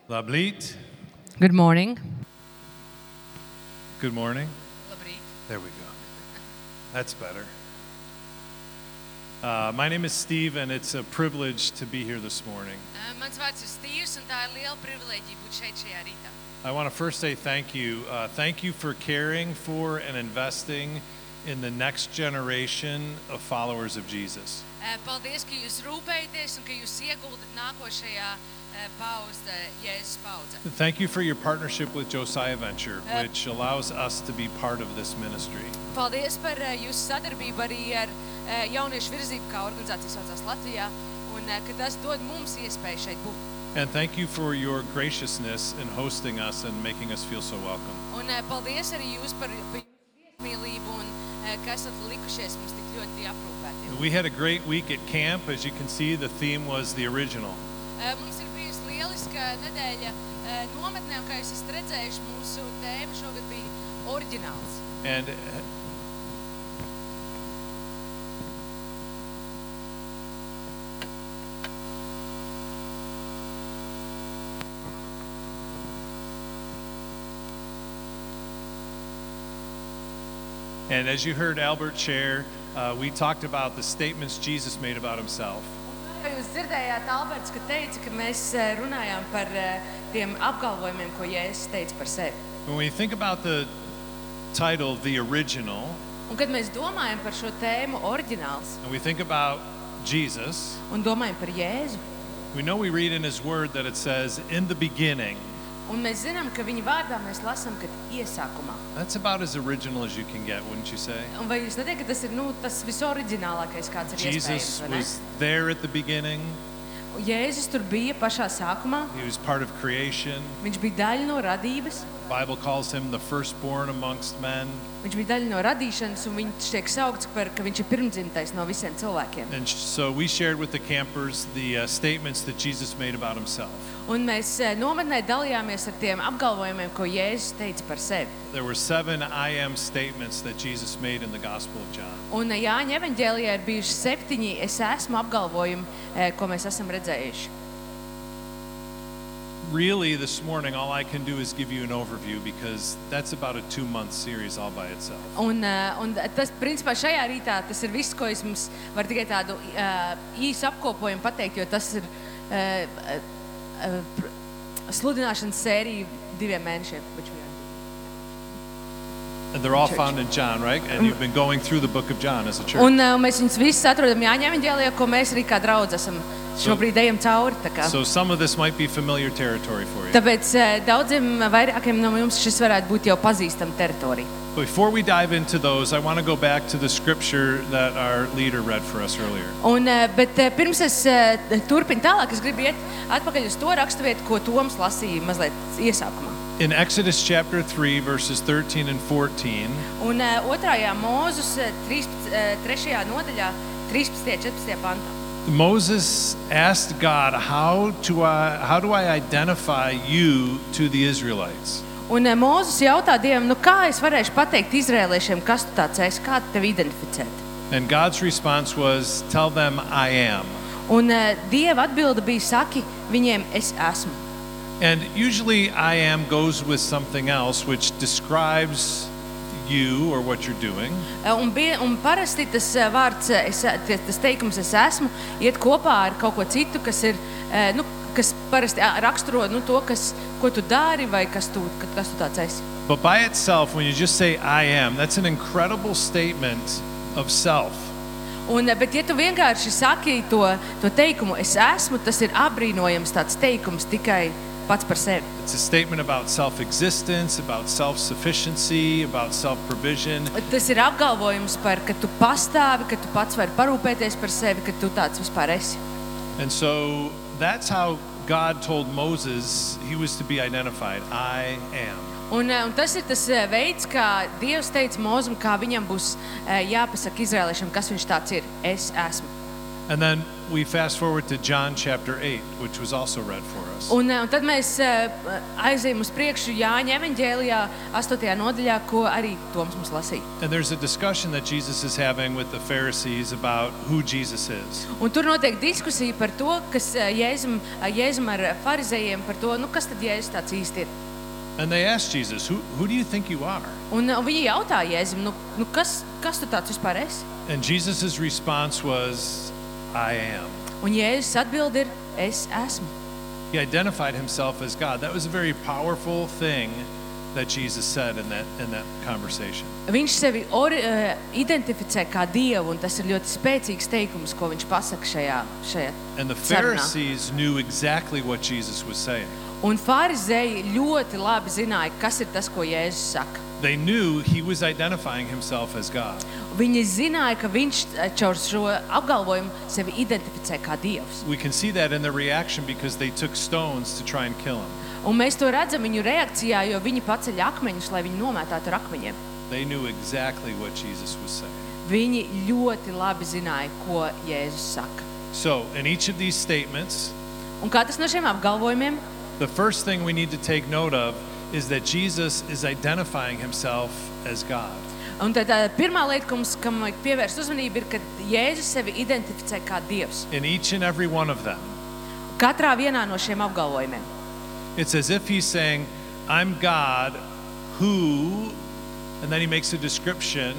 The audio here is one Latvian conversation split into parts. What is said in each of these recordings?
Labrīt. Good morning. Good morning. Labrīt. There we go. That's better. My name is Steve, and it's a privilege to be here this morning. Mans vārds ir Stīvs, un tā ir liela privilēģija būt šeit šajā rītā. I want to first say thank you. Thank you for caring for and investing in the next generation of followers of Jesus. Paldies, ka jūs rūpējaties un ka jūs ieguldat nākošajā Jēzus paudzē. Thank you for your partnership with Josiah Venture, which allows us to be part of this ministry. Paldies par jūsu sadarbību arī ar jauniešu virzību, kā organizācija saucās Latvijā, un ka tas dod mums iespēju šeit būt. And thank you for your graciousness in hosting us and making us feel so welcome. Un paldies arī jūs par jūsu viesmīlību un ka esat likušies mums tik ļoti aprūpēti. We had a great week at camp. As you can see, the theme was the original. Mums ir bijusi lieliska nedēļa nometnē, un kā jūs esat redzējuši, mūsu tēma šogad bija oriģināls. And as you heard Albert share, we talked about the statements Jesus made about himself. Jūs dzirdējāt Alberts, ka teica, ka mēs runājām par tiem apgalvojumiem, ko Jēzus teica par sevi. When we think about the title, The Original, Un kad mēs domājam par šo tēmu oriģināls and we think about Jesus, un domājam par Jēzu, we know we read in his word that it says, in the beginning. un mēs zinām, ka viņa vārdā mēs lasām, ka iesākumā. That's about as original as you can get, wouldn't you say? Un vai jūs neteikt, ka tas ir tas visoriģinālākais, kāds ir Jesus iespējams, vai ne? was there at the beginning. Jēzus tur bija pašā sākumā. He was part of creation. Viņš bija daļa no radības. The Bible calls him the firstborn amongst men. Viņš bija daļa no radīšanas, un viņš tiek saukts par, ka viņš ir pirmdzimtais no visiem cilvēkiem. And so we shared with the campers the statements that Jesus made about himself. Un mēs nometnē dalījāmies ar tiem apgalvojumiem, ko Jēzus teica par sevi. There were 7 I am statements that Jesus made in the Gospel of John. Un Jāņa evaņģēlijā ir bijuši 7 es esmu apgalvojumi, ko mēs esam redzējuši. Really, this morning, all I can do is give you an overview because that's about a 2-month series all by itself. Un tas, principā, šajā rītā tas ir viss, ko es mums varu tikai tādu īsu apkopojumu pateikt, jo tas ir sludināšanas sērija 2 mēnešiem. And they're all found in John, right? And you've been going through the book of John as a church. Un mēs viņus visus atrodam Jāņa evaņģēlijā, ko mēs arī kā draudz esam šobrīd ejam cauri. So some of this might be familiar territory for you. Tāpēc daudziem vairākiem no jums šis varētu būt jau pazīstama teritorija. Before we dive into those, I want to go back to the scripture that our leader read for us earlier. Bet pirms es turpinu tālāk, es gribu iet atpakaļ uz to raksturvietu, ko Toms lasīja mazliet iesākumā. In Exodus chapter 3, verses 13 and 14, Un 2. Mūzus 3. nodaļā, 13. 14. pantā. Moses asked God, how do I identify you to the Israelites? Un Mūzus jautā Dievam, kā es varēšu pateikt izrēliešiem, kas tu tāds esi, kā tevi identificēt? And God's response was, tell them I am. Un Dieva atbilde bija, saki viņiem, es esmu. And usually I am goes with something else which describes you or what you're doing. Un parasti tas vārds, tas teikums es esmu, iet kopā ar kaut ko citu, kas ir, kas parasti raksturo to, ko tu dari vai kas tu tāds esi. But by itself, when you just say I am, that's an incredible statement of self. Bet ja tu vienkārši saki to teikumu es esmu, tas ir apbrīnojams tāds teikums tikai pats par sevi. It's a statement about self-existence, about self-sufficiency, about self-provision. Tas ir apgalvojums par, ka tu pastāvi, ka tu pats vari parūpēties par sevi, ka tu tāds vispār esi. And so that's how God told Moses he was to be identified. I am. Un tas ir tas veids, kā Dievs teica Mūzum, kā viņam būs jāpasaka izrēliešiem, kas viņš tāds ir. Es esmu. And then we fast forward to John chapter 8, which was also read for us. Un tad mēs aizējam uz priekšu Jāņa evaņģēlijā 8. nodaļā, ko arī Toms mums lasīja. And there's a discussion that Jesus is having with the Pharisees about who Jesus is. Un tur notiek diskusija par to, kas Jēzum ar farizējiem par to, nu kas tad Jēzus tāds īsti ir. And they asked Jesus, who do you think you are? Un viņi jautā Jēzum, nu kas tu tāds vispār esi? And Jesus' response was, I am. Un Jēzus atbild ir, es esmu. He identified himself as God. That was a very powerful thing that Jesus said in that conversation. Viņš sevi identificē kā Dievu, un tas ir ļoti spēcīgs teikums, ko viņš pasaka šajā And the sarunā. Pharisees knew exactly what Jesus was saying. Un farizēji ļoti labi zināja, kas ir tas, ko Jēzus saka. They knew he was identifying himself as God. Viņi zināja, ka viņš caur šo apgalvojumu sevi identificē kā Dievs. We can see that in their reaction because they took stones to try and kill him. Un mēs to redzam viņu reakcijā, jo viņi paceļ akmeņus, lai viņu nomētātu ar akmeņiem. They knew exactly what Jesus was saying. Viņi ļoti labi zināja, ko Jēzus saka. So, in each of these statements, Un katrs no šiem apgalvojumiem, the first thing we need to take note of is that Jesus is identifying himself as God. un tad pirmā lieta, kam vajag pievērst uzmanību, ir, ka Jēzus sevi identificē kā Dievs. In each and every one of them. Katrā vienā no šiem apgalvojumiem. It's as if he's saying, I'm God who, and then he makes a description.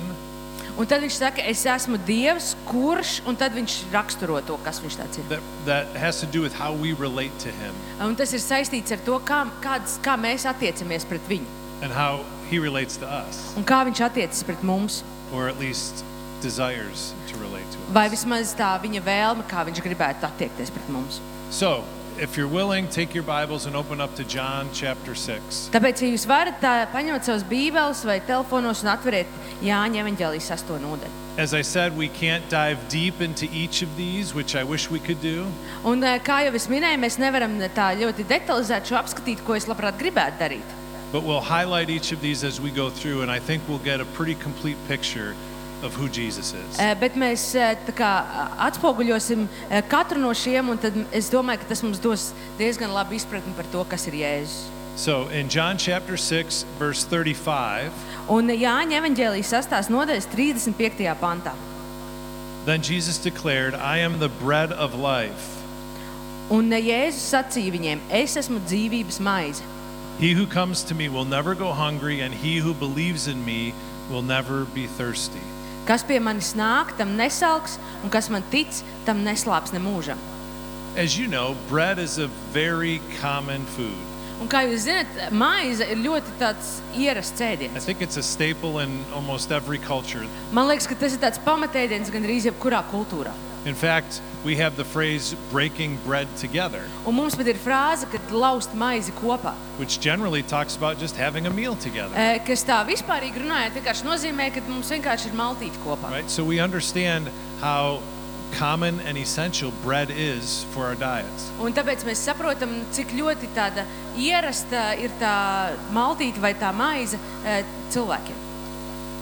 Un tad viņš saka, es esmu Dievs, kurš, un tad viņš raksturo to, kas viņš tāds ir. That has to do with how we relate to him Un tas ir saistīts ar to, kā mēs attiecamies pret viņu, and how he relates to us, un kā viņš attiecas pret mums, or at least desires to relate to us. vai vismaz tā viņa vēlme, kā viņš gribētu attiekties pret mums. So, if you're willing, take your Bibles and open up to John chapter 6. Tāpēc, ja jūs varat paņemt savas bībeles vai telefonos un atveriet Jāņa evaņģēlijas 8. nodaļu. As I said, we can't dive deep into each of these, which I wish we could do. Un kā jau es minēju, mēs nevaram tā ļoti detalizēt šo apskatīt, ko es labprāt gribētu darīt. But we'll highlight each of these as we go through, and I think we'll get a pretty complete picture of who Jesus is. Bet mēs tā kā atspoguļosim katru no šiem, un tad es domāju, ka tas mums dos diezgan labu izpratni par to, kas ir Jēzus. So in John chapter 6, verse 35, Un Jāņa evaņģēlijas 8. nodaļas 35. pantā. then Jesus declared, I am the bread of life. Un Jēzus sacīja viņiem, es esmu dzīvības maize. He who comes to me will never go hungry, and he who believes in me will never be thirsty. Kas pie manis nāk, tam nesalks, un kas man tic, tam neslāps ne mūžam. As you know, bread is a very common food. Un kā jūs zināt, maize ir ļoti tāds ierasts I ēdiens. think it's a staple in almost every culture. Man liekas, ka tas ir tāds pamatēdiens gandrīz jebkurā kultūrā. In fact, we have the phrase breaking bread together, Un mums pat ir frāze, kad laust maizi kopā. which generally talks about just having a meal together. Kas tā vispārīgi runājot, vienkārši nozīmē, ka mums vienkārši ir maltīte kopā. Right? So we understand how common and essential bread is for our diets. Un tāpēc mēs saprotam, cik ļoti tāda ierasta ir tā maltīte vai tā maize cilvēkiem.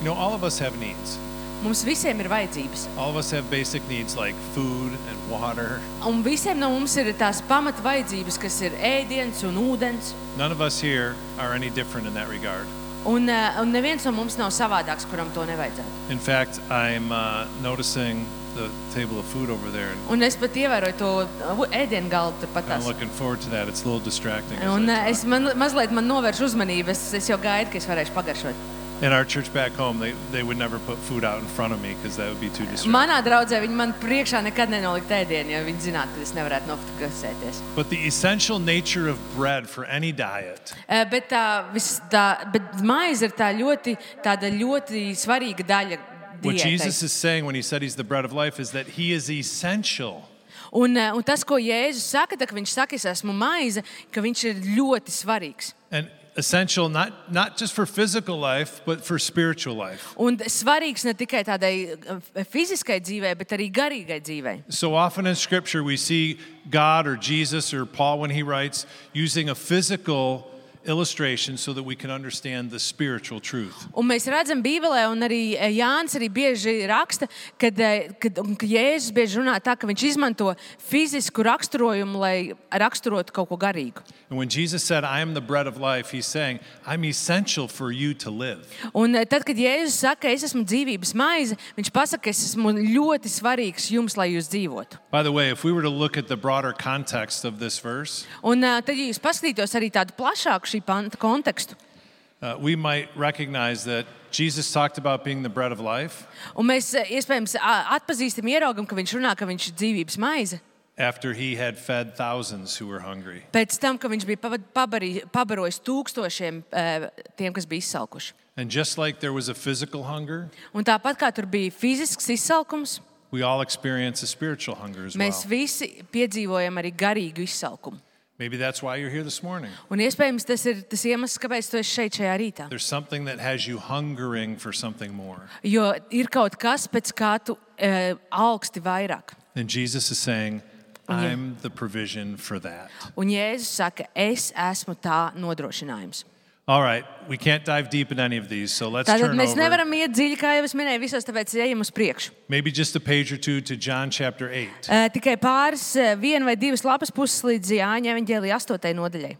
You know, all of us have needs. Mums visiem ir vajadzības. All of us have basic needs like food and water. Un visiem no mums ir tās pamata vajadzības, kas ir ēdiens un ūdens. None of us here are any different in that regard. Un neviens no mums nav savādāks, kuram to nevajadzētu. In fact, I'm noticing the table of food over there, and Un es pat ievēroju to ēdienu galdu turpat I'm tās. looking forward to that. It's a little distracting. as Un I es talk. mazliet novēršu uzmanību. Es jau gaidu, ka es varēšu pagaršot. In our church back home, they would never put food out in front of me because that would be too distracting. Manā draudzē viņi man priekšā nekad nenolikt ēdienu, jo viņi zinātu, ka es nevarētu nofokusēties. But the essential nature of bread for any diet Bet maize ir tāda ļoti svarīga daļa what diētai. Jesus is saying when he said he's the bread of life is that he is essential. Un tas, ko Jēzus saka, tad, kad viņš saka, es esmu maize, ka viņš ir ļoti svarīgs. And essential not just for physical life, but for spiritual life. Un svarīgs ne tikai tādai fiziskai dzīvei, bet arī garīgai dzīvei. So often in Scripture we see God or Jesus or Paul when he writes using a physical illustration so that we can understand the spiritual truth. Un mēs redzam Bībelē, un arī Jānis arī bieži raksta, ka Jēzus bieži runā tā, ka viņš izmanto fizisku raksturojumu, lai raksturotu kaut ko garīgu. And when Jesus said, I am the bread of life, he's saying, I'm essential for you to live. Un tad, kad Jēzus saka, es esmu dzīvības maize, viņš pasaka, es esmu ļoti svarīgs jums, lai jūs dzīvotu. By the way, if we were to look at the broader context of this verse, Un tad, ja jūs paskatītos arī tādu plašāku šī panta kontekstu, we might recognize that Jesus talked about being the bread of life un mēs iespējams atpazīstam, ieraugam, ka viņš runā, ka viņš ir dzīvības maize, after he had fed thousands who were hungry. pēc tam, ka viņš bija pabarojis tūkstošiem tiem, kas bija izsalkuši. And just like there was a physical hunger, Un tāpat kā tur bija fizisks izsalkums, we all experience a spiritual hunger as well. mēs visi piedzīvojam arī garīgu izsalkumu. Maybe that's why you're here this morning. Un iespējams tas ir tas iemesls, kāpēc tu esi šeit šajā rītā. There's something that has you hungering for something more. Jo ir kaut kas, pēc kā tu augsti vairāk. And Jesus is saying, I'm the provision for that. Un Jēzus saka, es esmu tā nodrošinājums. All right, we can't dive deep in any of these, so let's Tātad turn mēs over nevaram iet dziļi, kā jau es minēju, visos, tāpēc ejam uz priekšu. maybe just a page or two to John chapter 8. Tikai pāris, viena vai divas lapas puses līdz Jāņa evaņģēlija 8. nodaļai.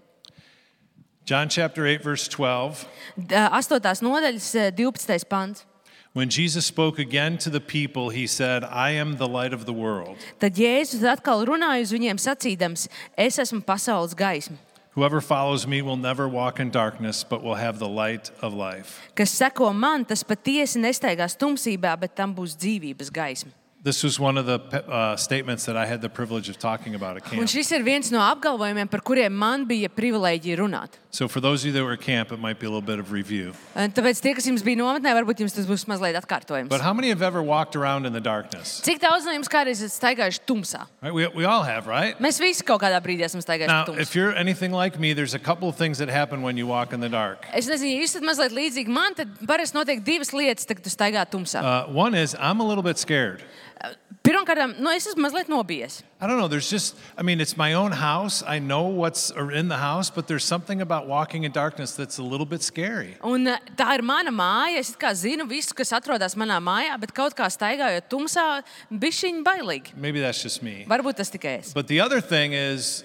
John chapter 8, verse 12. 8. nodaļas 12. pants. When Jesus spoke again to the people, he said, I am the light of the world. Tad Jēzus atkal runāja uz viņiem sacīdams, es esmu pasaules gaisma. Whoever follows me will never walk in darkness, but will have the light of life. Kas seko man, tas patiesi nestaigās tumsībā, bet tam būs dzīvības gaisma. This was one of the statements that I had the privilege of talking about at Un camp. šis ir viens no apgalvojumiem, par kuriem man bija privilēģija runāt. So for those of you that were at camp, it might be a little bit of review. Tāpēc tie, kas jums bija nometnē, varbūt jums tas būs mazliet atkārtojums. But how many have ever walked around in the darkness? Cik daudz no jums kādreiz esat staigājuši tumsā? Right? We all have, right? Mēs visi kaut kādā brīdī esam staigājuši Now, tumsā. if you're anything like me, there's a couple of things that happen when you walk in the dark. Es nezinu, ja jūs esat mazliet līdzīgi man, tad parasti notiek divas lietas, kad tu staigā tumsā. One is I'm a little bit scared. Pirmkārt, es esmu mazliet nobijies. I don't know. It's my own house. I know what's in the house, but there's something about walking in darkness that's a little bit scary. Un tā ir mana māja. Es it kā zinu visu, kas atrodas manā mājā, bet kaut kā staigājot tumsā, bišķiņ bailīgi. Maybe that's just me. Varbūt tas tikai es. But the other thing is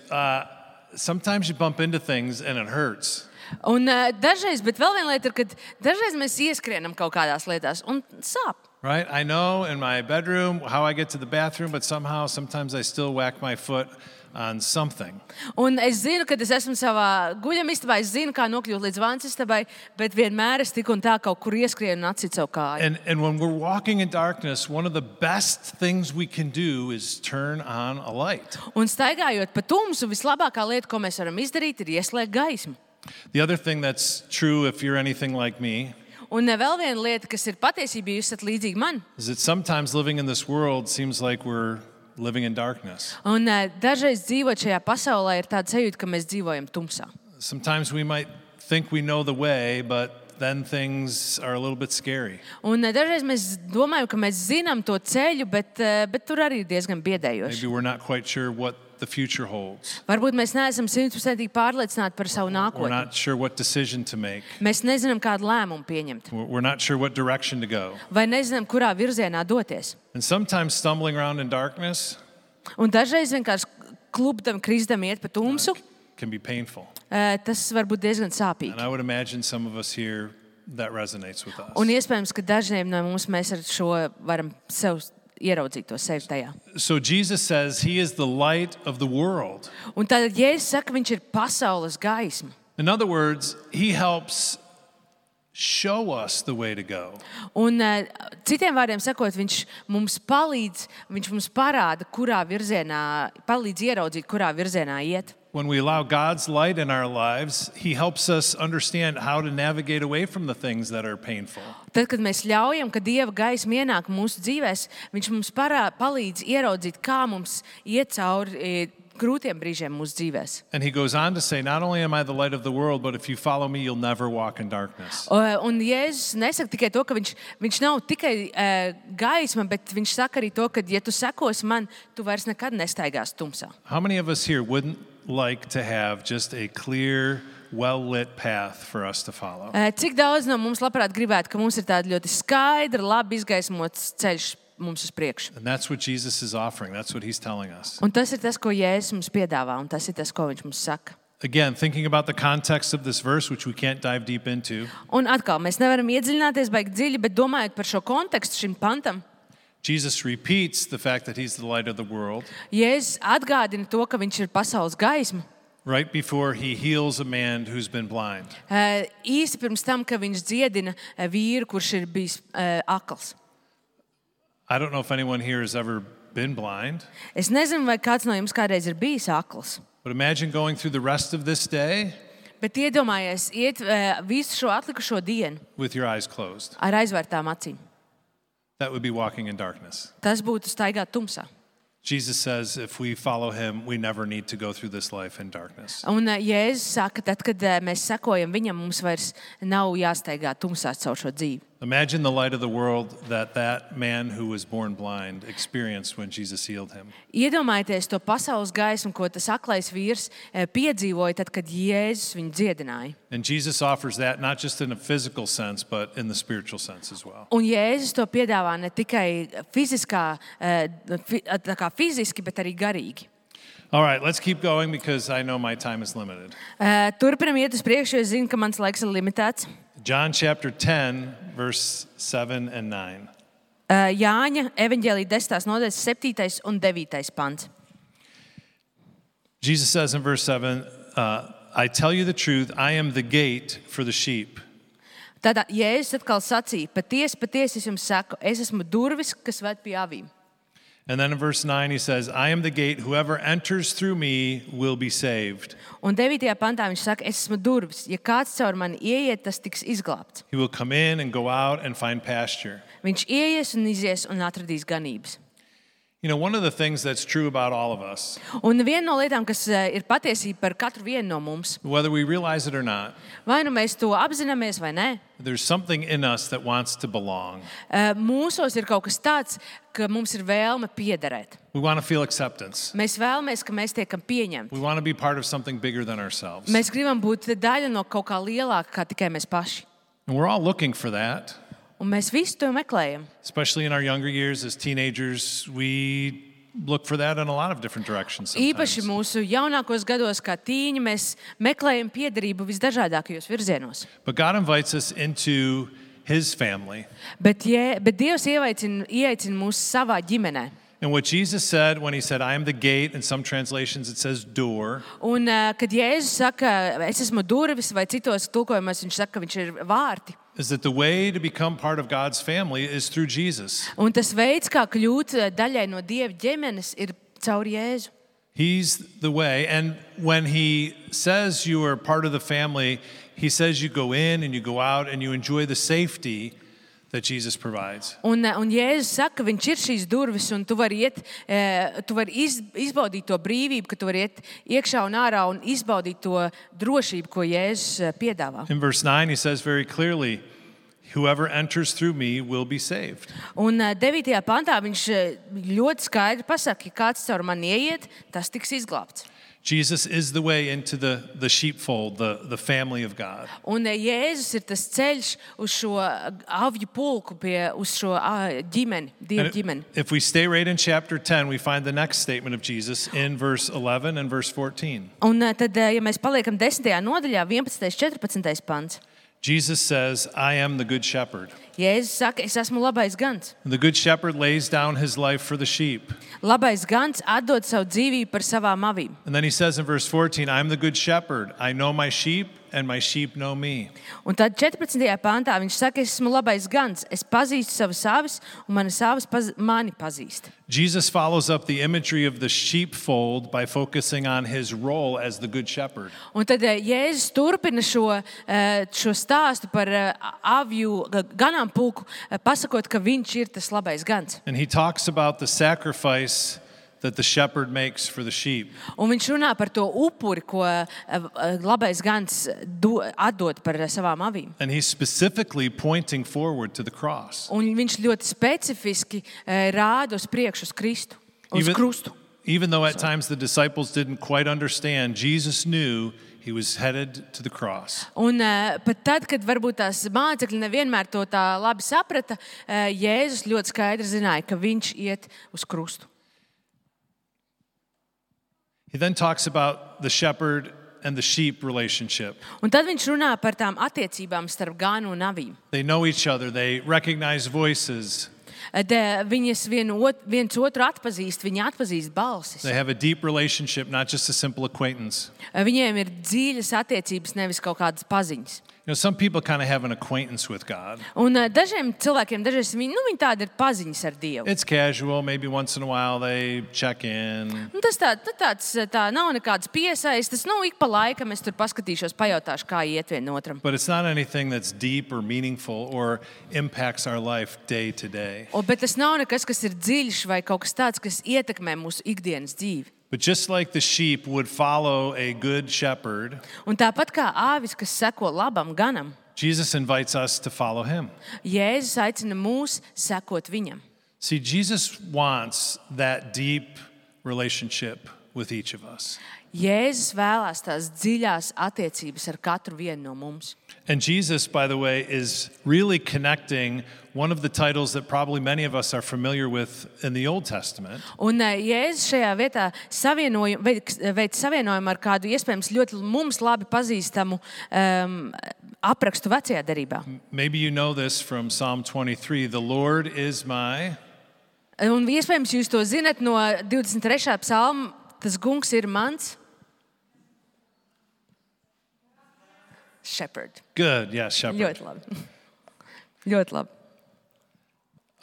sometimes you bump into things and it hurts. Un dažreiz, bet vēl viena lieta ir, kad dažreiz mēs ieskrienam kaut kādās lietās un sāp. Right? I know in my bedroom how I get to the bathroom, but sometimes I still whack my foot on something. Un es zinu, kad es esmu savā guļamistabā, es zinu, kā nokļūt līdz vansistabai, bet vienmēr es tik un tā kaut kur ieskrienu un atcitu savu kāju. And when we're walking in darkness, one of the best things we can do is turn on a light. Un staigājot pa tumsu, vislabākā lieta, ko mēs varam izdarīt, ir ieslēgt gaismu. The other thing that's true if you're anything like me Un vēl viena lieta, kas ir patiesība, jūs esat līdzīgi man. is that sometimes living in this world seems like we're living in darkness. Un dažreiz dzīvot šajā pasaulē ir tāda sajūta, ka mēs dzīvojam tumsā. Sometimes we might think we know the way, but then things are a little bit scary. Un dažreiz mēs domājam, ka mēs zinām to ceļu, bet tur arī ir diezgan biedējoši. Maybe we're not quite sure what the future holds. Varbūt mēs neesam 100% pārliecināti par savu We're nākotni. not sure what decision to make. Mēs nezinām, kādu lēmumu pieņemt, We're not sure what direction to go. vai nezinām, kurā virzienā doties. And sometimes stumbling around in darkness Un dažreiz vienkārši klupdam, kristam iet pa tumsu, can be painful. tas var būt diezgan sāpīgi. And I would imagine some of us here that resonates with us. Un iespējams, ka dažiem no mums mēs ar šo varam sev ieraudzīt to sevi tajā. So Jesus says he is the light of the world. Un tad Jēzus saka, viņš ir pasaules gaisma. In other words, he helps show us the way to go. Un citiem vārdiem sakot, viņš mums palīdz, viņš mums parāda, kurā virzienā, palīdz ieraudzīt, kurā virzienā iet. When we allow God's light in our lives, he helps us understand how to navigate away from the things that are painful. Tad, kad mēs ļaujam, ka Dieva gaisma ienāk mūsu dzīvēs, viņš mums palīdz ieraudzīt, kā mums iet cauri grūtiem brīžiem mūsu dzīvēs. And he goes on to say, not only am I the light of the world, but if you follow me, you'll never walk in darkness. Un Jēzus nesaka tikai to, ka viņš nav tikai gaisma, bet viņš saka arī to, ka, ja tu sekos man, tu vairs nekad nestaigās tumsā. How many of us here wouldn't like to have just a clear, well-lit path for us to follow. Cik daudz no mums labprāt gribētu, ka mums ir tāda ļoti skaidra, labi izgaismots ceļš mums uz priekšu. And that's what Jesus is offering. That's what he's telling us. Un tas ir tas, ko Jēzus mums piedāvā, un tas ir tas, ko viņš mums saka. Again, thinking about the context of this verse, which we can't dive deep into. Un atkal, mēs nevaram iedziļināties baigi dziļi, bet domājot par šo kontekstu šim pantam, Jesus repeats the fact that he's the light of the world Jēzus atgādina to, ka viņš ir pasaules gaisma. right before he heals a man who's been blind. Īsi pirms tam, ka viņš dziedina vīru, kurš ir bijis akls. I don't know if anyone here has ever been blind, Es nezinu, vai kāds no jums kādreiz ir bijis akls, but imagine going through the rest of this day bet iedomājies iet visu šo atlikušo dienu with your eyes closed. ar aizvērtām acīm. That would be walking in darkness. Tas būtu staigāt tumsā. Jesus says if we follow him, we never need to go through this life in darkness. Un Jēzus saka, tad, kad mēs sekojam viņam, mums vairs nav jāstaigā tumsā caur šo dzīvi. Imagine the light of the world that man who was born blind experienced when Jesus healed him. Iedomājieties to pasaules gaismu, ko tas aklais vīrs piedzīvoja, tad, kad Jēzus viņu dziedināja. And Jesus offers that not just in a physical sense, but in the spiritual sense as well. Un Jēzus to piedāvā ne tikai fiziski, bet arī garīgi. All right, let's keep going because I know my time is limited. Turpinam iet uz priekšu, jo es zinu, ka mans laiks ir limitēts. John chapter 10, verse 7 and 9. Jāņa evaņģēlija 10. nodaļas 7. un 9. pants. Jesus says in verse 7, I tell you the truth, I am the gate for the sheep. Tad Jēzus atkal sacīja, patiesi es jums saku, es esmu durvis, kas ved pie avīm. And then in verse 9 he says, I am the gate, whoever enters through me will be saved. Un 9. pantā viņš saka, es esmu durvis, ja kāds caur mani ieiet, tas tiks izglābts. He will come in and go out and find pasture. Viņš ieies un izies un atradīs ganības. You know, one of the things that's true about all of us, Un viena no lietām, kas ir patiesība par katru vienu no mums, whether we realize it or not, vai nu mēs to apzināmies vai nē, there's something in us that wants to belong. mūsos ir kaut kas tāds, ka mums ir vēlme piederēt. We want to feel acceptance. Mēs vēlamies, ka mēs tiekam pieņemti. We want to be part of something bigger than ourselves. Mēs gribam būt daļa no kaut kā lielāka, kā tikai mēs paši. And we're all looking for that. Un mēs visu to meklējam. Especially in our younger years as teenagers, we look for that in a lot of different directions Īpaši sometimes. mūsu jaunākos gados, kā tīņi, mēs meklējam piederību visdažādākajos virzienos. But God invites us into his family. Bet Dievs ieaicina mūs savā ģimenē. And what Jesus said when he said, I am the gate, in some translations it says door, Un, kad Jēzus saka, es esmu durvis, vai citos tulkojumos viņš saka, ka viņš ir vārti. is that the way to become part of God's family is through Jesus. Un tas veids, kā kļūt daļai no Dieva ģimenes, ir caur Jēzu. He's the way. And when he says you are part of the family, he says you go in and you go out and you enjoy the safety that Jesus provides. Un Jēzus saka, ka viņš ir šīs durvis, un tu vari izbaudīt to brīvību, ka tu vari iet iekšā un ārā un izbaudīt to drošību, ko Jēzus piedāvā. In verse 9, he says very clearly, whoever enters through me will be saved. Un 9. pantā viņš ļoti skaidri pasaka, ja kāds caur mani ieiet, tas tiks izglābts. Jesus is the way into the sheepfold, the family of God. Un Jēzus ir tas ceļš uz šo avju pulku, uz šo ģimeni, Dieva ģimeni. If we stay right in chapter 10, we find the next statement of Jesus in verse 11 and verse 14. Un tad, ja mēs paliekam 10. nodaļā, 11. 14. pants, Jesus says, I am the good shepherd. Jēzus saka, es esmu labais gans. The good shepherd lays down his life for the sheep. Labais gans atdod savu dzīvību par savām avīm. And then he says in verse 14, I'm the good shepherd. I know my sheep and my sheep know me. Un tad 14. pantā viņš saka, es esmu labais gans, es pazīstu savas avis, un manas avis mani pazīst. Jesus follows up the imagery of the sheepfold by focusing on his role as the good shepherd. Un tad Jēzus turpina šo stāstu par avju ganāmpulku, pasakot, ka viņš ir tas labais gans. And he talks about the sacrifice that the shepherd makes for the sheep. Un viņš runā par to upuri, ko labais gans atdod par savām avīm. And he's specifically pointing forward to the cross. Un viņš ļoti specifiski rāda uz priekšu uz Kristu, uz krustu. Even though at times the disciples didn't quite understand, Jesus knew he was headed to the cross. Un pat tad, kad varbūt tās mācekļi nevienmēr to tā labi saprata, Jēzus ļoti skaidri zināja, ka viņš iet uz krustu. He then talks about the shepherd and the sheep relationship. Un tad viņš runā par tām attiecībām starp gānu un avīm. They know each other, they recognize voices. Viņas viens otru atpazīst, viņi atpazīst balsis. They have a deep relationship, not just a simple acquaintance. Viņiem ir dziļas attiecības, nevis kaut kādas paziņas. You know, some people kind of have an acquaintance with God. Un dažiem cilvēkiem, viņi tādi ir paziņas ar Dievu. It's casual, maybe once in a while they check in. Un tas tā nav nekāds piesaistes. Ik pa laikam es tur paskatīšos, pajautāšu, kā iet vienotram. But it's not anything that's deep or meaningful or impacts our life day to day. Bet tas nav nekas, kas ir dziļš vai kaut kas tāds, kas ietekmē mūsu ikdienas dzīvi. But just like the sheep would follow a good shepherd, Un tāpat kā āvis, kas seko labam ganam, Jesus invites us to follow him. Jēzus aicina mūs sekot viņam. See, Jesus wants that deep relationship with each of us. Jēzus vēlās tās dziļās attiecības ar katru vienu no mums. And Jesus, by the way, is really connecting one of the titles that probably many of us are familiar with in the Old Testament. Un Jēzus šajā vietā veic savienojumu ar kādu iespējams ļoti mums labi pazīstamu aprakstu vecajā derībā. Maybe you know this from Psalm 23. The Lord is my... Un iespējams jūs to zinat no 23. psalma. Tas kungs ir mans shepherd. Good, yes, shepherd. Ļoti labi. Ļoti labi.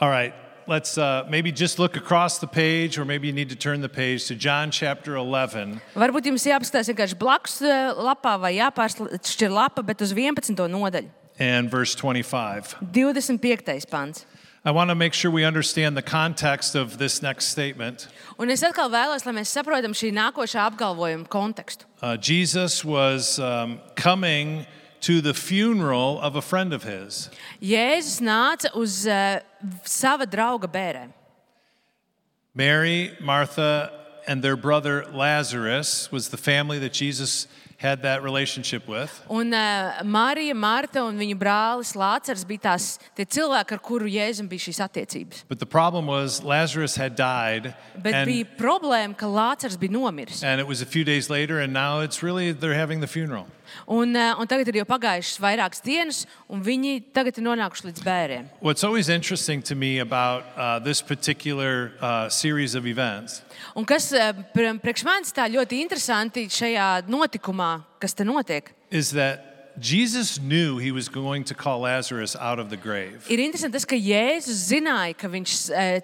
All right, let's maybe just look across the page, or maybe you need to turn the page to John chapter 11. Varbūt jums jāapskatās vienkārši blakus lapā vai jāpāršķir lapa, bet uz 11. nodaļu. And verse 25. 25. pants. I want to make sure we understand the context of this next statement. Un es atkal vēlos, lai mēs saprotam šī nākošā apgalvojuma kontekstu. Jesus was coming to the funeral of a friend of his. Jēzus nāca uz sava drauga bērēm. Mary, Martha, and their brother Lazarus was the family that Jesus had that relationship with. Un Marija, Marta un viņu brālis Lācars bija tie cilvēki, ar kuru Jēzum bija šīs attiecības. But the problem was Lazarus had died. Bet bija problēma, ka Lācars bija nomiris. And it was a few days later, and now it's really, they're having the funeral. Un tagad ir jau pagājušas vairākas dienas, un viņi tagad ir nonākuši līdz bēriem. What's always interesting to me about this particular series of events Un kas priekš manis tā ļoti interesanti šajā notikumā, kas te notiek, is that Jesus knew he was going to call Lazarus out of the grave. ir interesanti tas, ka Jēzus zināja, ka viņš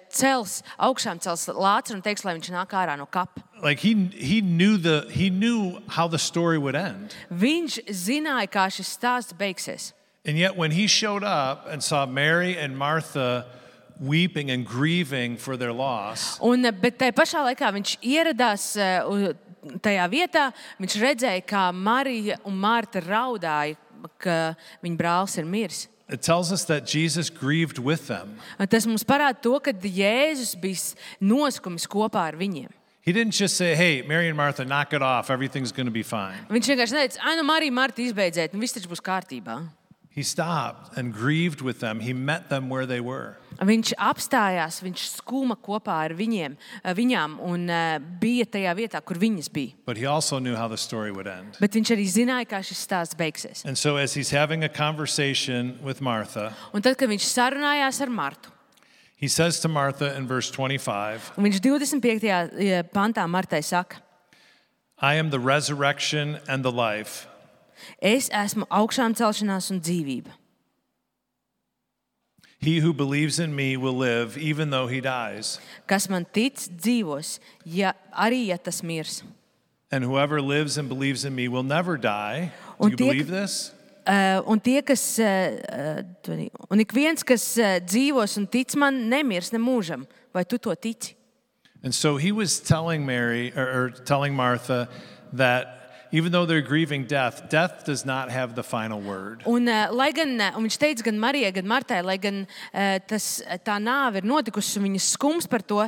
cels Lācaru un teiks, lai viņš nāk ārā no kapa. Like he knew how the story would end. Viņš zināja, kā šis stāsts beigsies. And yet when he showed up and saw Mary and Martha weeping and grieving for their loss, Bet tajā pašā laikā viņš ieradās tajā vietā, viņš redzēja, kā Marija un Marta raudāja, ka viņa brālis ir miris. it tells us that Jesus grieved with them. Tas mums parāda to, ka Jēzus bija noskumis kopā ar viņiem. He didn't just say, hey, Mary and Martha, knock it off. Everything's going to be fine. Viņš vienkārši neteica, Marija, Marta, izbeidziet, un viss taču būs kārtībā. He stopped and grieved with them. He met them where they were. Viņš apstājās, viņš skuma kopā ar viņām un bija tajā vietā, kur viņas bija. But he also knew how the story would end. Bet viņš arī zināja, kā šis stāsts beigsies. And so as he's having a conversation with Martha, Un tad, kad viņš sarunājās ar Martu, he says to Martha in verse 25, un viņš 25. pantā Martai saka, I am the resurrection and the life. es esmu augšām celšanās un dzīvība. He who believes in me will live even though he dies. Kas man tic, dzīvos, arī ja tas mirs. And whoever lives and believes in me will never die. Do Un you tie, believe this? Un ik viens, kas dzīvos un tic man, nemirs ne mūžam. Vai tu to tici? And so he was telling Mary or telling Martha that Even though they're grieving death, death does not have the final word. Un viņš teica gan Marijai, gan Martai, lai gan tā nāve ir notikusi un viņas skums par to,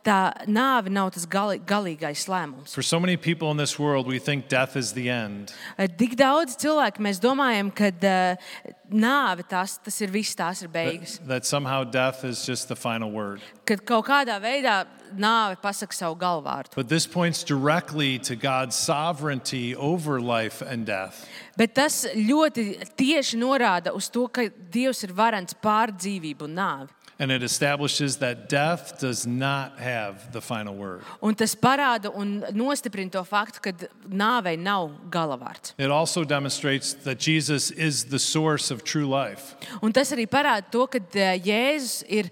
tā nāve nav tas galīgais lēmums. For so many people in this world, we think death is the end. Tik daudz cilvēku mēs domājam, ka nāve tas ir viss, tās ir beigas. That somehow death is just the final word. Kad kaut kādā veidā nāve pasaka savu galvārdu. But this points directly to God's sovereignty over life and death. Bet tas ļoti tieši norāda uz to, ka Dievs ir varens pār dzīvību un nāvi. And it establishes that death does not have the final word. Un tas parāda un nostiprina to faktu, ka nāvei nav galavārds. It also demonstrates that Jesus is the source of true life. Un tas arī parāda to, ka Jēzus ir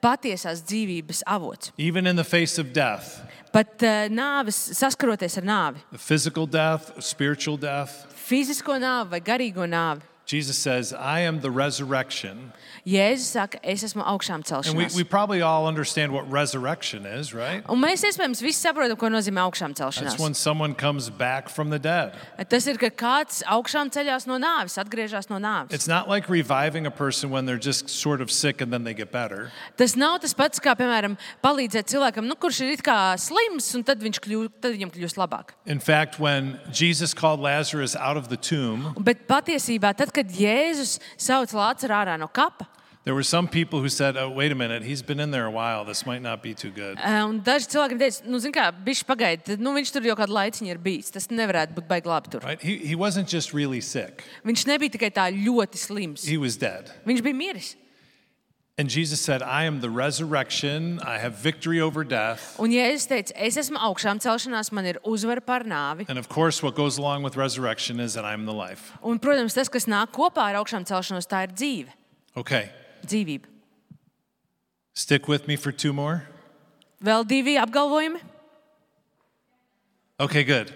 patiesās dzīvības avots. Even in the face of death. Pat saskaroties ar nāvi. Physical death, spiritual death. Fizisko nāvi vai garīgo nāvi. Jesus says, I am the resurrection. Jēzus saka, es esmu augšām And celšanās. we probably all understand what resurrection is, right? Un mēs iespējams visi saprotam, ko nozīmē augšām That's celšanās. when someone comes back from the dead. Tas ir, ka kāds augšām ceļās no nāves, atgriežas no nāves. It's not like reviving a person when they're just sort of sick and then they get better. Tas nav tas pats, kā, piemēram, palīdzēt cilvēkam, kurš ir it kā slims, un tad viņam kļūst labāk. In fact, when Jesus called Lazarus out of the tomb, Bet patiesībā, tad, kad Jēzus sauc Lācaru ārā no kapa, there were some people who said, oh, wait a minute, he's been in there a while. This might not be too good. un daži cilvēki teica, zin kā, bišķi pagaidi, viņš tur jau kādu laiciņu ir bijis. Tas nevarētu būt baigi labi tur. Right? He wasn't just really sick. Viņš nebija tikai tā ļoti slims. He was dead. Viņš bija miris. And Jesus said, I am the resurrection. I have victory over death. Un Jēzus teica, es esmu augšām celšanās, man ir uzvara pār nāvi. And of course, what goes along with resurrection is that I'm the life. Un, protams, tas, kas nāk kopā ar augšām celšanos, tā ir dzīve. Okay, Dzīvība. stick with me for 2 more. Vēl 2 apgalvojumi. Okay, good.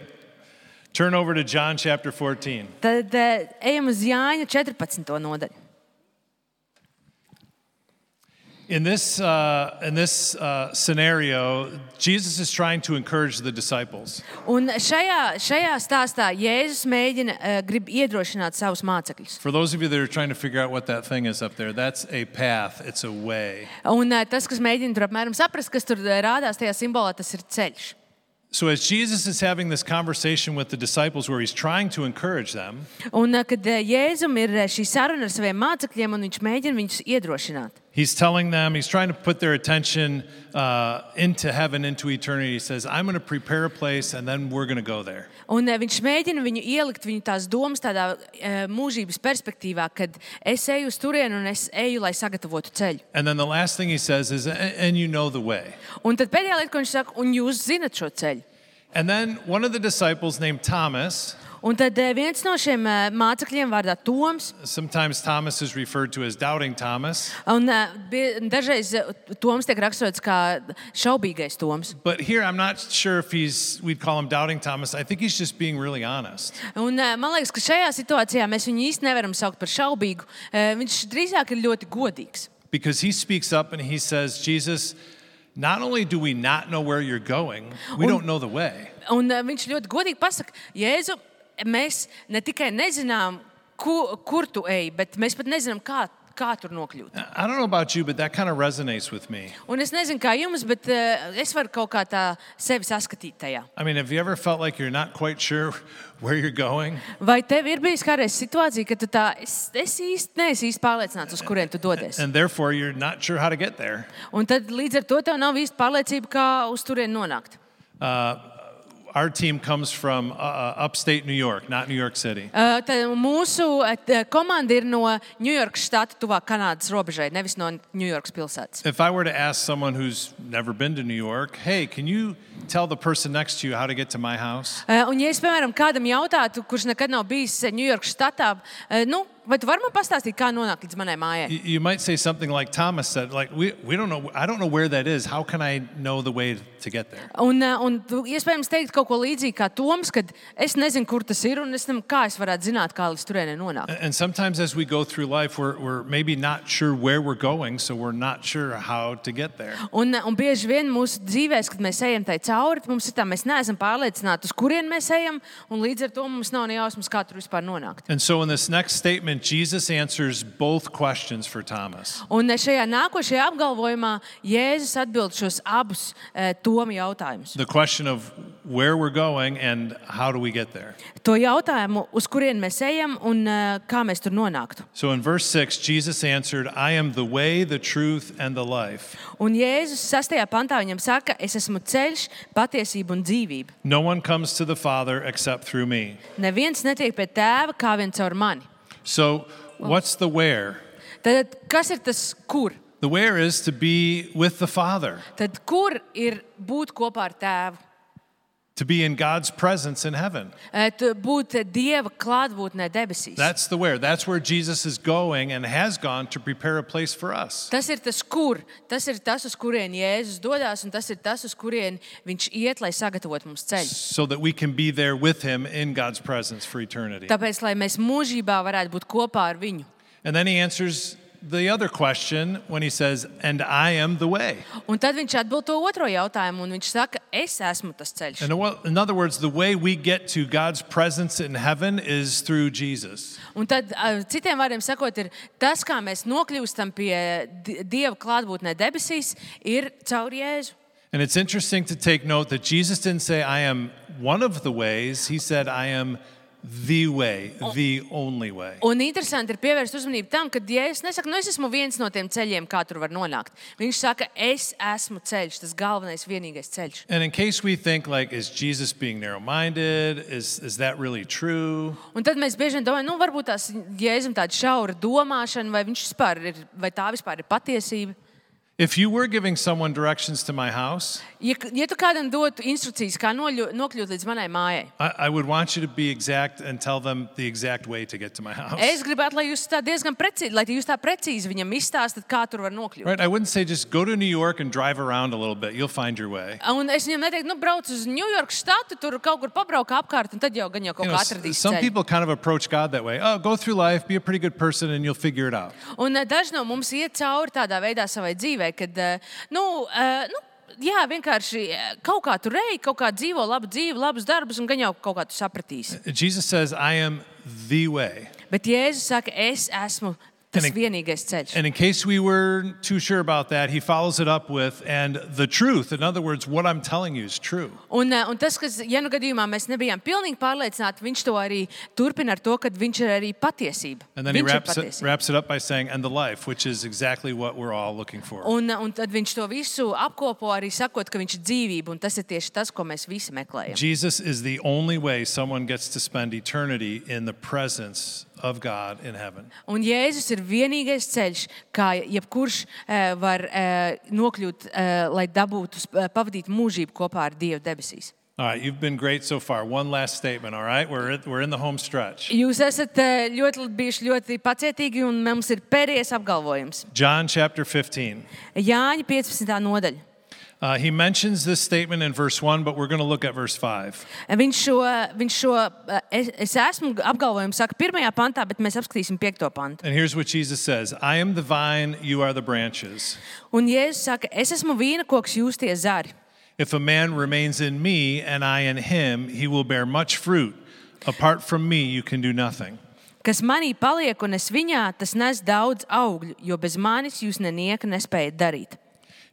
Turn over to John chapter 14. Tad ejam uz Jāņa 14. nodaļu. In this scenario, Jesus is trying to encourage the disciples. Un šajā stāstā Jēzus grib iedrošināt savus mācekļus. For those of you that are trying to figure out what that thing is up there, that's a path, it's a way. Un tas, kas mēģina tur apmēram saprast, kas tur rādās tajā simbolā, tas ir ceļš. So as Jesus is having this conversation with the disciples where he's trying to encourage them, Un kad Jēzum ir šī saruna ar saviem mācekļiem, un viņš mēģina viņus iedrošināt. he's telling them, he's trying to put their attention into heaven, into eternity. He says, I'm going to prepare a place and then we're going to go there. Un viņš mēģina viņu ielikt viņu tās domas tādā mūžības perspektīvā, kad es eju uz turienu un es eju, lai sagatavotu ceļu. And then the last thing he says is, and you know the way. Un tad pēdējā lieta, ko viņš saka, un jūs zinat šo ceļu. And then one of the disciples named Thomas, Un tad viens no šiem mācekļiem vārdā Toms, sometimes Thomas is referred to as Doubting Thomas, un dažreiz Toms tiek raksturots kā šaubīgais Toms. but here I'm not sure if we'd call him Doubting Thomas. I think he's just being really honest. Un man liekas, ka šajā situācijā mēs viņu īsti nevaram saukt par šaubīgu. Viņš drīzāk ir ļoti godīgs. Because he speaks up and he says, Jesus, not only do we not know where you're going, we don't know the way. Un viņš ļoti godīgi pasaka, Jēzu, mēs ne tikai nezinām, kur tu ej, bet mēs pat nezinām, kā tur nokļūt. I don't know about you, but that kind of resonates with me. Un es nezinu, kā jums, bet es varu kaut kā tā sevi saskatīt tajā. I mean, have you ever felt like you're not quite sure where you're going? Vai tev ir bijis kādreiz situācija, ka tu neesi īsti pārliecināts, uz kurien tu dodies? And therefore, you're not sure how to get there. Un tad līdz ar to tev nav īsti pārliecība, kā uz turieni nonākt. Our team comes from upstate New York, not New York City. Tad mūsu komanda ir no Ņujorkas štata tuvāk Kanādas robežai, nevis no Ņujorkas pilsētas. If I were to ask someone who's never been to New York, hey, can you tell the person next to you how to get to my house? Un ja es, piemēram, kādam jautātu, kurš nekad nav bijis Ņujorkas štatā, Vai tu vari man pastāstīt, kā nonākt līdz manai mājai? You might say something like Thomas said, like, we don't know, I don't know where that is. How can I know the way to get there? Un tu iespējams teikt kaut ko līdzīgu kā Toms, kad es nezinu, kur tas ir, un kā es varētu zināt, kā līdz turienei nonākt. And sometimes as we go through life, we're maybe not sure where we're going, so we're not sure how to get there. Un bieži vien mūsu dzīvēs, kad mēs ejam tai cauri, mums ir tā, mēs neesam pārliecināti, uz kurien mēs ejam, un līdz ar to mums nav ne jausmas, kā tur vispār nonākt. And so in this next statement, Jesus answers both questions for Thomas. Un šajā nākošajā apgalvojumā Jēzus atbild šos abus Toma jautājumus. The question of where we're going and how do we get there. To jautājumu, uz kurien mēs ejam un kā mēs tur nonāktu. So in verse 6, Jesus answered, I am the way, the truth, and the life. Un Jēzus 6. pantā viņam saka, es esmu ceļš, patiesība un dzīvība. No one comes to the Father except through me. Neviens netiek pie tēva kā vien caur mani. So what's the where? Tad kas ir tas kur? The where is to be with the Father, Tad kur ir būt kopā ar tēvu? to be in God's presence in heaven. Būt Dieva klātbūtnē debesīs. That's the where. That's where Jesus is going and has gone to prepare a place for us. Tas ir tas kur. Tas ir tas, uz kurien Jēzus dodās, un tas ir tas, uz kurien viņš iet, lai sagatavotu mums ceļu. So that we can be there with him in God's presence for eternity. Tāpēc, lai mēs mūžībā varētu būt kopā ar viņu. And then he answers the other question when he says, and I am the way. Un tad viņš atbild to otro jautājumu, un viņš saka, es esmu tas ceļš. And in other words, the way we get to God's presence in heaven is through Jesus. Un tad, citiem vārdiem sakot, ir tas, kā mēs nokļūstam pie Dieva klātbūtnē debesīs, ir caur Jēzu. And it's interesting to take note that Jesus didn't say, I am one of the ways. He said, I am the way, the only way. Un interesanti ir pievērst uzmanību tam, ka Jēzus nesaka, es esmu viens no tiem ceļiem, kā tur var nonākt. Viņš saka, es esmu ceļš, tas galvenais, vienīgais ceļš. And in case we think, like, is Jesus being narrow-minded? Is that really true? Un tad mēs bieži vien domājam, varbūt tās Jēzum tāda šaura domāšana, vai viņš vispār ir, vai tā vispār ir patiesība. If you were giving someone directions to my house, Ja tu kādam dotu instrukcijas, kā nokļūt līdz manai mājai, I would want you to be exact and tell them the exact way to get to my house. es gribētu, lai jūs tā diezgan precīzi, lai jūs tā precīzi viņam izstāstat, kā tur var nokļūt. Right? I wouldn't say just go to New York and drive around a little bit. You'll find your way. Un es viņam neteiktu, brauc uz Ņujorkas štatu, tur kaut kur pabrauk apkārt, un tad jau gan jau kaut kā atradīs Some ceļu. people kind of approach God that way. Oh, go through life, be a pretty good person, and you'll figure it out. Un daži no mums iet cauri tādā veidā savai dzīvei, kad, jā, vienkārši kaut kā tur ej, kaut kā dzīvo labu dzīvi, labus darbus, un gan jau kaut kā tu sapratīsi. Jesus says, I am the way. Bet Jēzus saka, es esmu tas vienīgais ceļš. And in case we were too sure about that, he follows it up with, and the truth. In other words, what I'm telling you is true. Un tas, kas, ja nu gadījumā mēs nebijām pilnīgi pārliecināti, viņš to arī turpina ar to, ka viņš ir arī patiesība. And then he wraps it up by saying, and the life, which is exactly what we're all looking for. Un tad viņš to visu apkopo arī sakot, ka viņš ir dzīvība, un tas ir tieši tas, ko mēs visi meklējam. Jesus is the only way someone gets to spend eternity in the presence of God in heaven. Un Jēzus ir vienīgais ceļš, kā jebkurš var nokļūt, lai dabūtu, pavadīt mūžību kopā ar Dievu debesīs. All right, you've been great so far. One last statement, all right? We're in the home stretch. Jūs esat bijuši ļoti pacietīgi, un mums ir pēdējais apgalvojums. John chapter 15. Jāņa 15. nodaļa. He mentions this statement in verse 1, but we're going to look at verse 5. Viņš šo es esmu apgalvojumu saka 1. pantā, bet mēs apskatīsim 5. pantu. And here's what Jesus says. I am the vine, you are the branches. Un Jēzus saka, es esmu vīna koks, jūs tie zari. If a man remains in me and I in him, he will bear much fruit. Apart from me, you can do nothing. Kas manī paliek un es viņā, tas nes daudz augļu, jo bez manis jūs nenieka nespējat darīt.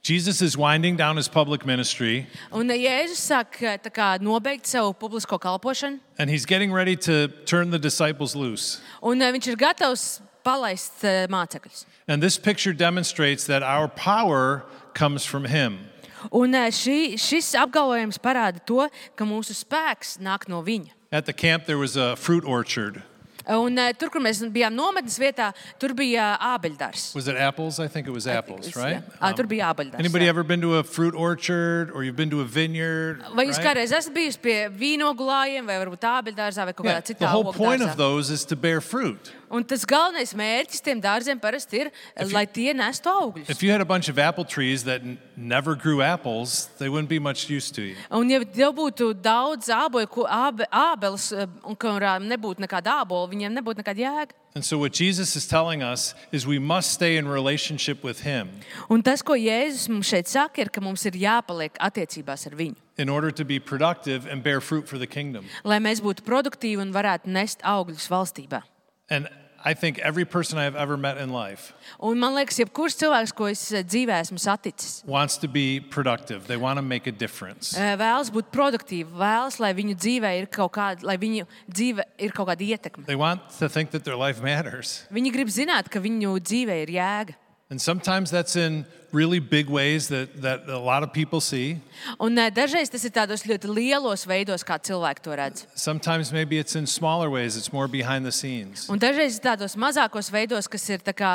Jesus is winding down his public ministry. Un Jēzus sāk tā kā nobeigt savu publisko kalpošanu. And he's getting ready to turn the disciples loose. Un viņš ir gatavs palaist mācekļus. And this picture demonstrates that our power comes from him. Un šis apgalvojums parāda to, ka mūsu spēks nāk no viņa. At the camp there was a fruit orchard. Un tur, kur mēs bijām nometnes vietā, tur bija ābeļdārs. Was it apples? I think it was apples, right? Tur bija ābeļdārs. Anybody ever been to a fruit orchard or you've been to a vineyard? Vai jūs kādreiz esat bijusi pie vīnogu lājiem vai varbūt ābeļdārzā vai kaut kādā citā The whole point ogdārzā? of those is to bear fruit. Un tas galvenais mērķis tiem dārziem parasti ir, lai tie nestu augļus. If you had a bunch of apple trees that never grew apples, they wouldn't be much use to you. Un ja tev būtu daudz ābeles, un kurām nebūtu nekāda ābola, viņiem nebūtu nekāda jēga. And so what Jesus is telling us is we must stay in relationship with him Un tas, ko Jēzus mums šeit saka, ir, ka mums ir jāpaliek attiecībās ar viņu. in order to be productive and bear fruit for the kingdom. Lai mēs būtu produktīvi un varētu nest augļus valstībā. And I think every person I have ever met in life Un man liekas, jebkurš cilvēks, ko es dzīvē esmu saticis, wants to be productive. They want to make a difference. vēlas būt produktīvi, vēlas, lai viņu dzīvē ir kaut kāda, lai viņu dzīve ir kaut kāda ietekme. They want to think that their life matters. Viņi grib zināt, ka viņu dzīvē ir jēga. And sometimes that's in really big ways that a lot of people see. Un dažreiz tas ir tādos ļoti lielos veidos, kā cilvēki to redz. Sometimes maybe it's in smaller ways. It's more behind the scenes. Un dažreiz ir tādos mazākos veidos, kas ir tā kā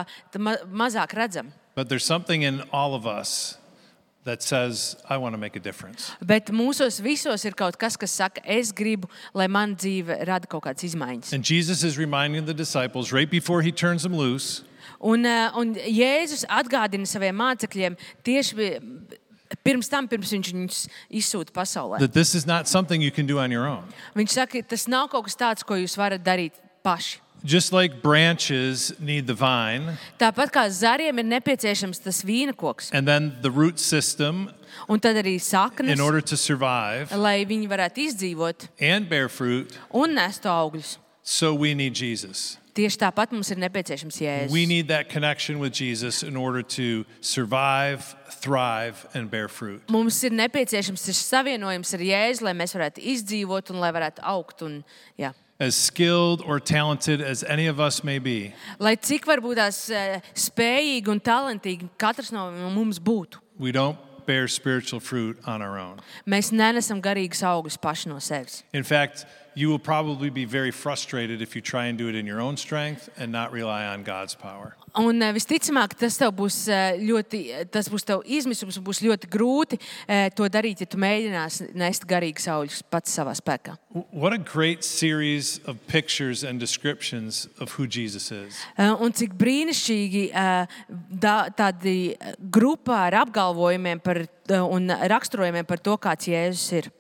mazāk redzami. But there's something in all of us that says, I want to make a difference. Bet mūsos visos ir kaut kas, kas saka, es gribu, lai man dzīve rada kaut kādas izmaiņas. And Jesus is reminding the disciples right before he turns them loose Un Jēzus atgādina saviem mācekļiem tieši pirms viņš viņus izsūta pasaulē. that this is not something you can do on your own. Viņš saka, tas nav kaut kas tāds, ko jūs varat darīt paši. Just like branches need the vine Tāpat kā zariem ir nepieciešams tas vīna koks, and then the root system un tad arī saknes, in order to survive lai viņi varētu izdzīvot and bear fruit, un nestu augļus. so we need Jesus. Tieši tāpat mums ir nepieciešams We Jēzus. need that connection with Jesus in order to survive, thrive, and bear fruit. Mums ir nepieciešams šis savienojums ar Jēzu, lai mēs varētu izdzīvot un lai varētu augt. Un, jā. As skilled or talented as any of us may be, Lai cik varbūt tās spējīgi un talantīgi katrs no mums būtu, we don't bear spiritual fruit on our own. mēs nenesam garīgus augļus paši no sevis. In fact, you will probably be very frustrated if you try and do it in your own strength and not rely on God's power. Un visticamāk, tas būs tev izmisums, būs ļoti grūti to darīt, ja tu mēģināsi nest garīgus augļus pats savā spēkā. What a great series of pictures and descriptions of who Jesus is. Un cik brīnišķīgi tādi grupā ar apgalvojumiem un raksturojumiem par to, kāds Jēzus ir.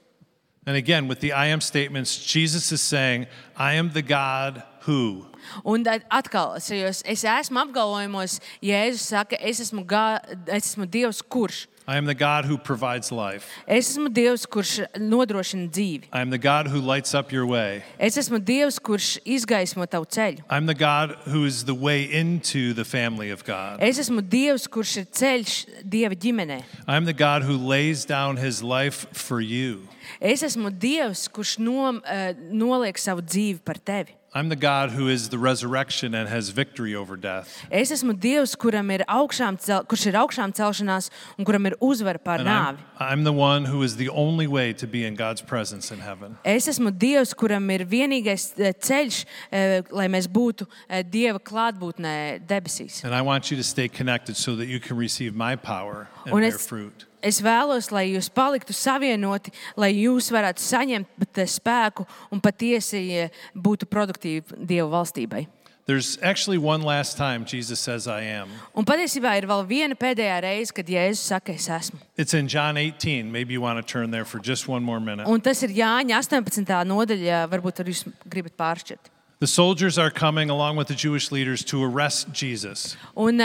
And again, with the I am statements, Jesus is saying, I am the God who. Un atkal, es esmu apgalvojumos, Jēzus saka, es esmu Dievs, kurš. I am the God who provides life. Es esmu Dievs, kurš nodrošina dzīvi. I am the God who lights up your way. Es esmu Dievs, kurš izgaismo tavu ceļu. I'm the God who is the way into the family of God. Es esmu Dievs, kurš ir ceļš Dieva ģimenē. I'm the God who lays down his life for you. Es esmu Dievs, kurš noliek savu dzīvi par tevi. I'm the God who is the resurrection and has victory over death. Es esmu Dievs, kurš ir augšām celšanās un kuram ir uzvara pār And nāvi. I'm the one who is the only way to be in God's presence in heaven. Es esmu Dievs, kuram ir vienīgais ceļš, lai mēs būtu Dieva klātbūtnē debesīs. And I want you to stay connected so that you can receive my power and Un bear es- fruit. Es vēlos, lai jūs paliktu savienoti, lai jūs varētu saņemt spēku un patiesi būtu produktīvi Dieva valstībai. There's actually one last time Jesus says I am. Un patiesībā ir vēl viena pēdējā reize, kad Jēzus saka, es esmu. It's in John 18. Maybe you want to turn there for just one more minute. Un tas ir Jāņa 18. nodaļa, varbūt arī jūs gribat pāršķirt. The soldiers are coming along with the Jewish leaders to arrest Jesus. Un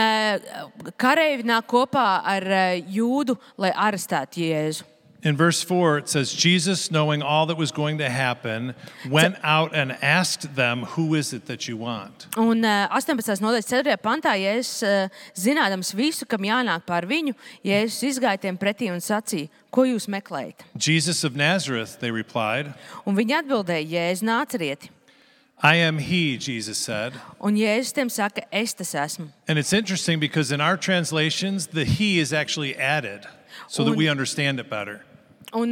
kareivi nāk kopā ar jūdu, lai arestētu Jēzu. In verse 4, it says, Jesus, knowing all that was going to happen, went out and asked them, who is it that you want? Un 18. nodaļas 4. pantā Jēzus, zinādams visu, kam jānāk pār viņu, Jēzus izgāja tiem pretī un sacīja, ko jūs meklējat? Jesus of Nazareth, they replied. Un viņi atbildēja, Jēzu Nācerieti. I am he, Jesus said. Un Jēzus tiem saka, es tas esmu. And it's interesting because in our translations, the he is actually added so that we understand it better. Un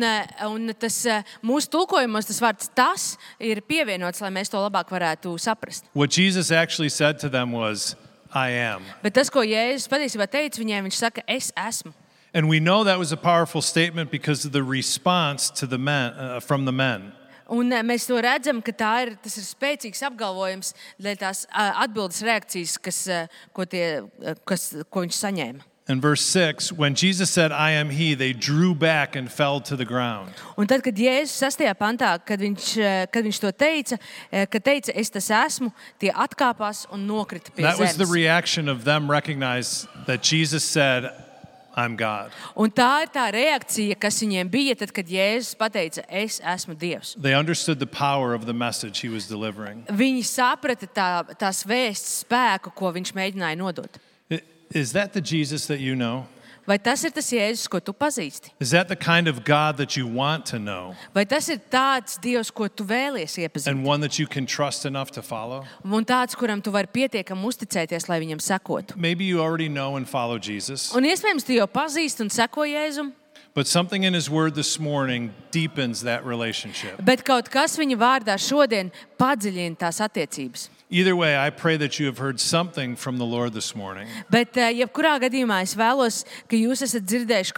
tas mūsu tulkojumos tas vārds tas ir pievienots, lai mēs to labāk varētu saprast. What Jesus actually said to them was, I am. Bet tas, ko Jēzus patiesībā teica viņiem, viņš saka, es esmu. And we know that was a powerful statement because of the response to the men, from the men. Un mēs to redzam, ka tas ir spēcīgs apgalvojums dēļ tās atbildes reakcijas, ko viņš saņēma. In verse 6, when Jesus said, I am he, they drew back and fell to the ground. Un tad, kad Jēzus 6. pantā, kad viņš to teica, es tas esmu, tie atkāpās un nokrita pie That was the zemes. reaction of them recognize that Jesus said, I'm God. Un tā ir tā reakcija, kas viņiem bija, tad, kad Jēzus pateica, es esmu Dievs. They understood the power of the message he was delivering. Viņi saprata tās vēsts spēku, ko viņš mēģināja nodot. Is that the Jesus that you know? Vai tas ir tas Jēzus, ko tu pazīsti? Is that the kind of God that you want to know Vai tas ir tāds Dievs, ko tu vēlies iepazīt? and one that you can trust enough to follow? Un tāds, kuram tu vari pietiekami uzticēties, lai viņam sekotu. Maybe you already know and follow Jesus, Un iespējams, tu jau pazīsti un seko Jēzum, but something in his word this morning deepens that relationship. bet kaut kas viņa vārdā šodien padziļina tās attiecības. Either way, I pray that you have heard something from the Lord this morning. Bet, jebkurā gadījumā, es vēlos, ka jūs esat dzirdējuši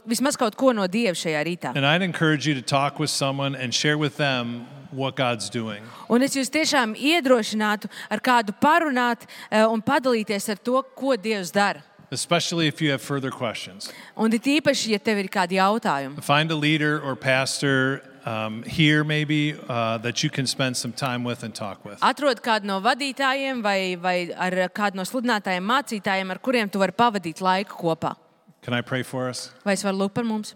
vismaz kaut ko no Dieva šajā rītā. And I'd encourage you to talk with someone and share with them what God's doing. Un es jūs tiešām iedrošinātu ar kādu parunāt un padalīties ar to, ko Dievs dara. Especially if you have further questions. Un it īpaši, ja tev ir kādi jautājumi. Find a leader or pastor here maybe that you can spend some time with and talk with. Atrod kādu no vadītājiem vai ar kādu no sludinātājiem, mācītājiem, ar kuriem tu vari pavadīt laiku kopā. Can I pray for us? Vai es varu lūgt par mums?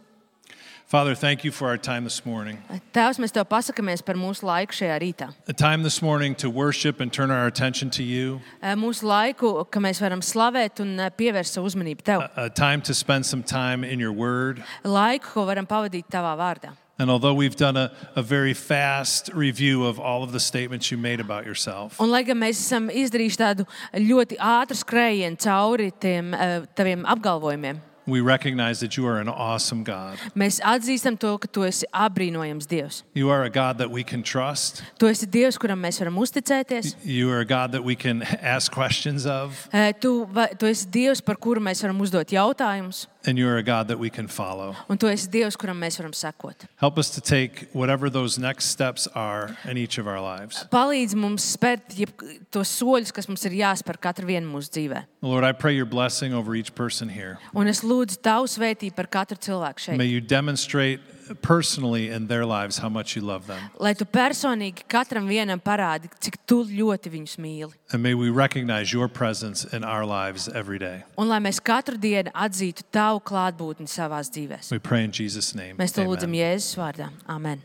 Father, thank you for our time this morning. Tēvs, mēs tev pasakamies par mūsu laiku šajā rītā. A time this morning to worship and turn our attention to you. Mūsu laiku, ka mēs varam slavēt un pievērst savu uzmanību tev. A time to spend some time in your word. Laiku, ko varam pavadīt tavā vārdā. And although we've done a very fast review of all of the statements you made about yourself, Un, lai gan mēs esam izdarījuši tādu ļoti ātru skrējienu cauri taviem apgalvojumiem, we recognize that you are an awesome God. mēs atzīstam to, ka tu esi apbrīnojams Dievs. You are a God that we can trust. Tu esi Dievs, kuram mēs varam uzticēties. You are a God that we can ask questions of. Tu esi Dievs, par kuru mēs varam uzdot jautājumus. And you are a God that we can follow. Un tu esi Dievs, kuram mēs varam sekot. Help us to take whatever those next steps are in each of our lives. Palīdz mums spērt tos soļus, kas mums ir jāspēr katru vienu mūsu dzīvē. Lord, I pray your blessing over each person here. Un es lūdzu tavu svētību par katru cilvēku May šeit. you demonstrate personally in their lives how much you love them. Lai tu personīgi katram vienam parādi, cik tu ļoti viņus mīli. And may we recognize your presence in our lives every day. Un lai mēs katru dienu atzītu tavu klātbūtni savās dzīvēs. We pray in Jesus' name. Mēs to Amen. lūdzam Jēzus vārdā. Amen.